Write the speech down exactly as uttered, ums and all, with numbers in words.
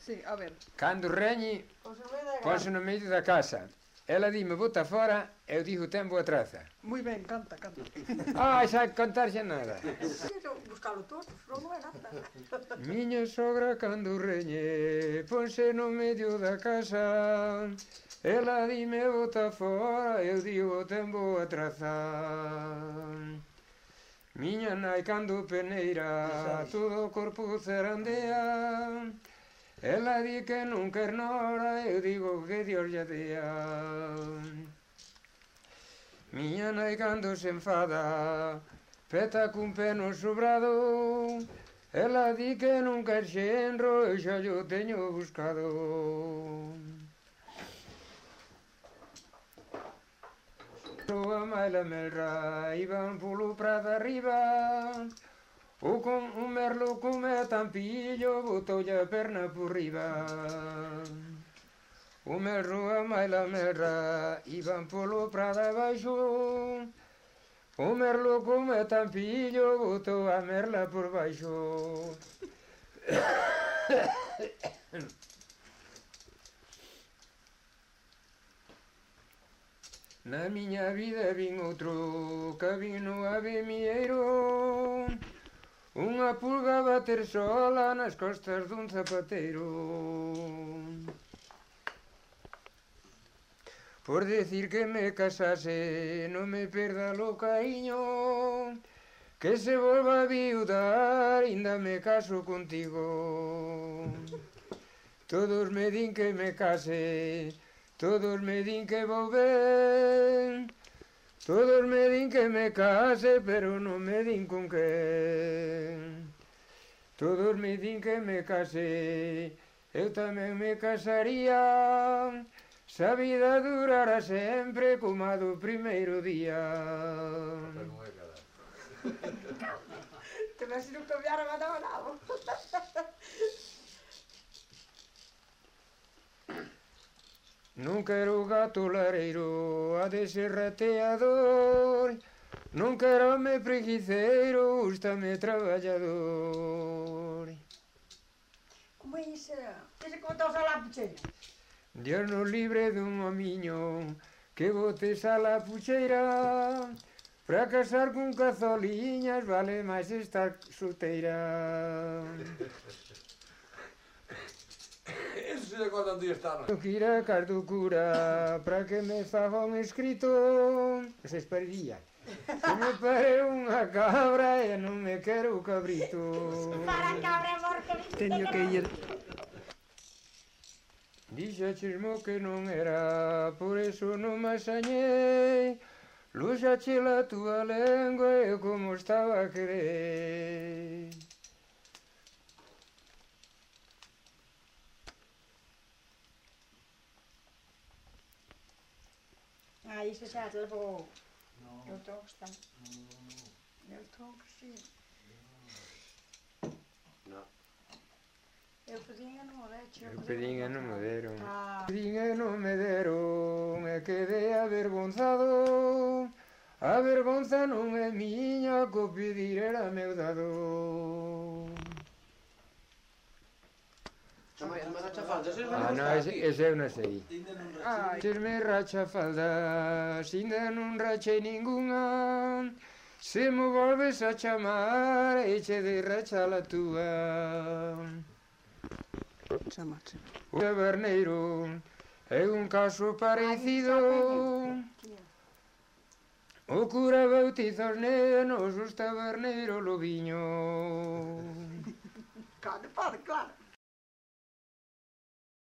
Sí, a ver. Cando reñe, ponse no medio da casa. Ela dime, bota fora, eu digo, ten boa traza. Moi ben, canta, canta. Ai, xa contar xa nada. Quero buscalo todo, non é nada. Miña sogra cando reñe, ponse no medio da casa. Ela dime, bota fora, eu digo, ten boa traza. Miña nai cando peneira, todo o corpo zarandea. Ela di que non quer nora, eu digo que Dios lle dea. Miña nai cando se enfada, peta cun peno sobrado. Ela di que non quer xenro, eu xa yo teño buscado. A maila melra, iban polo prado arriba. O con un merlo come tampillo, botoulle a perna por riba. O merro a maila merra, iban polo prado abaixo. O merlo come tampillo, botou a merla por baixo. Na miña vida vin outro cabino avemieiro. Unha pulga bater sola nas costas dun zapateiro. Por decir que me casase, non me perda lo cariño, que se volva a viudar, ainda me caso contigo. Todos me din que me case, todos me din que vou ben, todos me din que me case, pero non me din con quen. Todos me din que me case, eu tamén me casaría, se a vida durara sempre como a do primeiro día. Te ves non cambiaron a nada nada. Non quero gato lareiro, a de ser rateador. Non quero me preguiceiro, gústame traballador. Como é iso? Que se contou a la pucheira? Dios nos libre dun homiño que botes a la pucheira. Para casar con cazoliñas vale máis estar solteira. Eso se lle conta un día esta noite. Eu quira cardo cura para que me faga un escrito. Se esperaría. Que me pare unha cabra e non me quero cabrito. Para cabra, amor, que Teño que ir. Dixaxesmo que non era, por eso non me asañei. Luxache la túa lengua e como estaba a querer. Ah, iso xa te levou. Eu tenho que estar. Eu tenho que sim. Non. Eu pedinha non me deron. Eu pedinha non me deron. Ah. Pedinha non me deron, e quedei avergonzado. A vergonza non é miña, co pedir era meu dado. Ah, non, ese, ese eu non sei. Ai, Se me racha faldas, ainda non rachei ningunha. Se me volves a chamar, eche de racha la túa. chamache. O taberneiro é un caso parecido. O cura bautiza os nenos, os taberneiro lobiño. Claro, pode, claro.